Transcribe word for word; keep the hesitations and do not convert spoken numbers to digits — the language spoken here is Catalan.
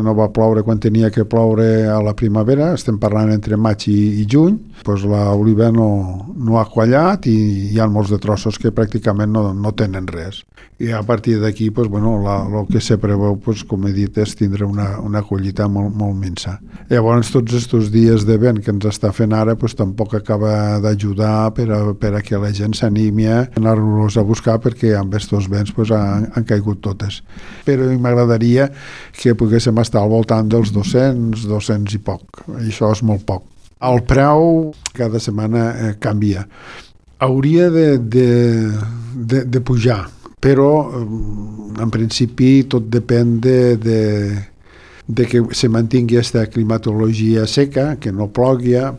no va ploure quan tenia que ploure a la primavera, estem parlant entre maig i, i juny, doncs l'oliva no, no ha quallat i hi ha molts de trossos que pràcticament no, no tenen res. I a partir d'aquí, doncs, bueno, el que se preveu, doncs, com he dit, és tindre una, una collita molt, molt minsa. Llavors, tots aquests dies de vent que ens està fent ara, doncs, tampoc acaba d'ajudar per a, per a que la gent s'animi a anar-los a buscar, perquè amb aquests vents doncs, han, han caigut totes. Però m'agradaria que poguéssim estar al voltant dels dos-cents, dos-cents i poc. Això és molt poc. El preu cada setmana eh, canvia. Hauria de, de, de, de pujar, però eh, en principi tot depèn de, de, de que se mantingui aquesta climatologia seca, que no plogui,